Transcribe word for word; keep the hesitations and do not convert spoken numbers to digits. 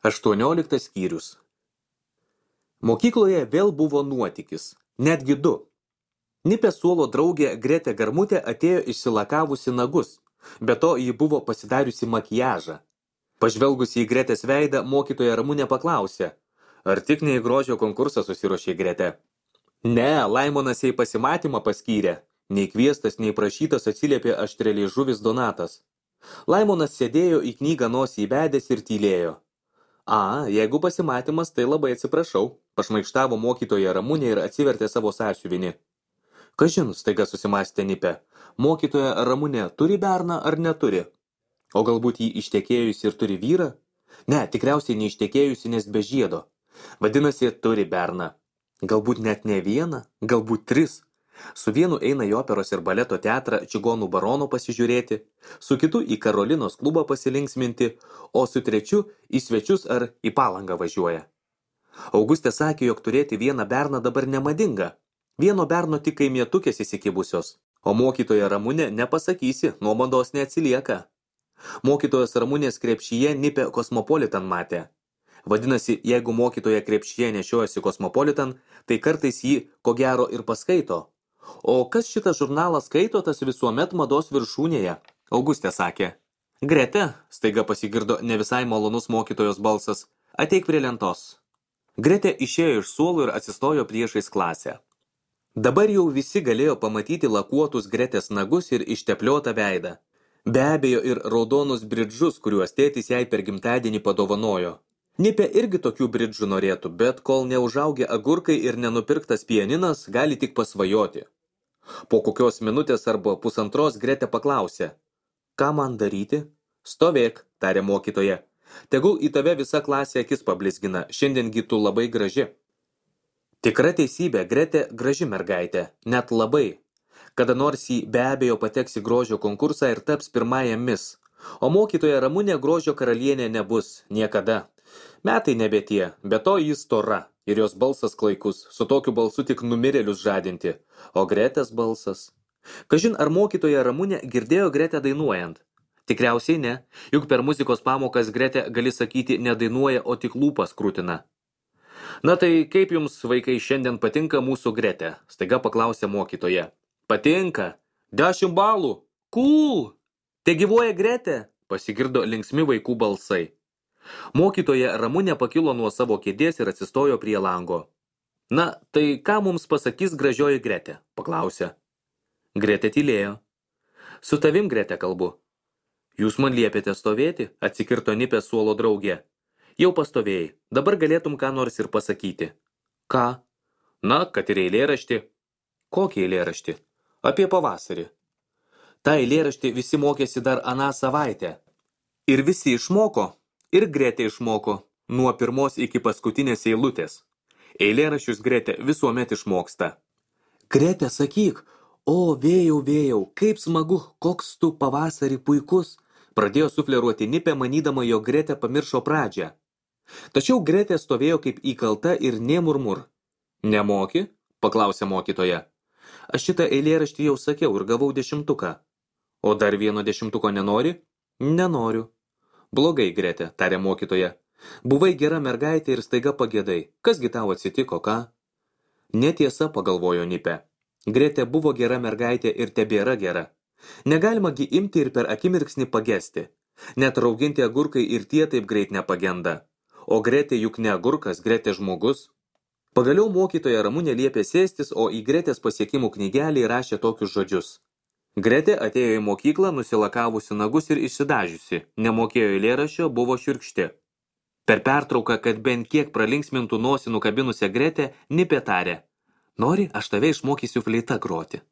Aštuonioliktas skyrius. Mokykloje vėl buvo nuotykis, netgi du. Nipės suolo draugė Gretė Garmutė atėjo išsilakavusi nagus, be to ji buvo pasidariusi makiažą. Pažvelgusi į Gretės veidą, mokytoja Ramunė paklausė, ar tik ne į grožio konkursą susiruošė Gretė. Ne, Laimonas jai pasimatymą paskyrė, nei kviestas, nei prašytas atsiliepė aštreliai žuvis Donatas. Laimonas sėdėjo į knygą nosį įbedęs ir tylėjo. A, jeigu pasimatymas, tai labai atsiprašau, pašmaikštavo mokytoja Ramunė ir atsivertė savo sąsiuvinį. Kažin, staiga susimąstė Nipė, mokytoja Ramunė turi berną ar neturi? O galbūt jį ištekėjusi ir turi vyrą? Ne, tikriausiai neištekėjusi, nes be žiedo. Vadinasi, turi berną. Galbūt net ne vieną, galbūt tris. Su vienu eina į operos ir baleto teatrą Čigonų barono pasižiūrėti, su kitu į Karolinos klubą pasilinksminti, o su trečiu į svečius ar į Palangą važiuoja. Augustė sakė, jog turėti vieną berną dabar nemadinga. Vieno berno tik kaimietukės įsikibusios, o mokytoja Ramunė nepasakysi, nuo mados neatsilieka. Mokytojos Ramunės krepšyje Nipė Kosmopolitan matė. Vadinasi, jeigu mokytoja krepšyje nešiojasi Kosmopolitan, tai kartais jį ko gero ir paskaito. O kas šitą žurnalą skaito, tas visuomet mados viršūnėje, Augustė sakė. Grete, staiga pasigirdo ne visai malonus mokytojos balsas, ateik prie lentos. Grete išėjo iš suolo ir atsistojo priešais klasę. Dabar jau visi galėjo pamatyti lakuotus Gretės nagus ir ištepliotą veidą. Be abejo ir raudonus bridžus, kuriuos tėtis jai per gimtadienį padovanojo. Nipė irgi tokių bridžų norėtų, bet kol neužaugę agurkai ir nenupirktas pianinas, gali tik pasvajoti. Po kokios minutės arba pusantros Gretė paklausė. Ką man daryti? Stovėk, tarė mokytoja. Tegul į tave visa klasė akis pablizgina, šiandiengi tu labai graži. Tikra teisybė, Gretė graži mergaitė, net labai. Kada nors jį be abejo pateks į grožio konkursą ir taps pirmąją mis. O mokytoja Ramunė grožio karalienė nebus, niekada. Metai nebe tie, be to jis stora ir jos balsas klaikus, su tokiu balsu tik numirėlius žadinti, o Gretės balsas. Kažin ar mokytoja Ramunė girdėjo Gretę dainuojant? Tikriausiai ne, juk per muzikos pamokas Gretė gali sakyti nedainuoja, o tik lūpas krūtina. Na tai kaip jums, vaikai, šiandien patinka mūsų Gretė? Staiga paklausė mokytoja. Patinka, dešimt balų, cool, te gyvuoja Gretė, pasigirdo linksmi vaikų balsai. Mokytoja Ramunė pakilo nuo savo kėdės ir atsistojo prie lango. Na, tai ką mums pasakys gražioji Gretė? Paklausė. Gretė tylėjo. Su tavim, Gretė, kalbu. Jūs man liepėte stovėti, atsikirto Nipės suolo draugė. Jau pastovėjai, dabar galėtum ką nors ir pasakyti. Ką? Na, kad ir eilėraštį. Kokį eilėraštį? Apie pavasarį. Ta eilėraštį visi mokėsi dar aną savaitę. Ir visi išmoko. Ir Gretė išmoko, nuo pirmos iki paskutinės eilutės. Eilėraščius Gretė visuomet išmoksta. Gretė, sakyk, o vėjau, vėjau, kaip smagu, koks tu pavasarį puikus, pradėjo sufleruoti Nipė, manydama, jog Gretė pamiršo pradžią. Tačiau Gretė stovėjo kaip įkalta ir nė murmur. Nemoki? Paklausė mokytoja. Aš šitą eilėraštį jau sakiau ir gavau dešimtuką. O dar vieno dešimtuko nenori? Nenoriu. Blogai, Gretė, tarė mokytoja. Buvai gera mergaitė ir staiga pagėdai. Kasgi tau atsitiko, ką? Netiesa, pagalvojo Nipė. Gretė buvo gera mergaitė ir tebėra gera. Negalima gi imti ir per akimirksnį pagesti. Net rauginti agurkai ir tie taip greit nepagenda. O Gretė juk ne agurkas, Gretė žmogus. Pagaliau mokytoja Ramunė liepė sėstis, o į Gretės pasiekimų knygelį rašė tokius žodžius. Gretė atėjo į mokyklą, nusilakavusi nagus ir išsidažiusi, nemokėjo eilėraščio, buvo šiurkšti. Per pertrauką, kad bent kiek pralinksmintų nosį nukabinusią Gretę, Nipė tarė. Nori, aš tave išmokysiu fleita groti.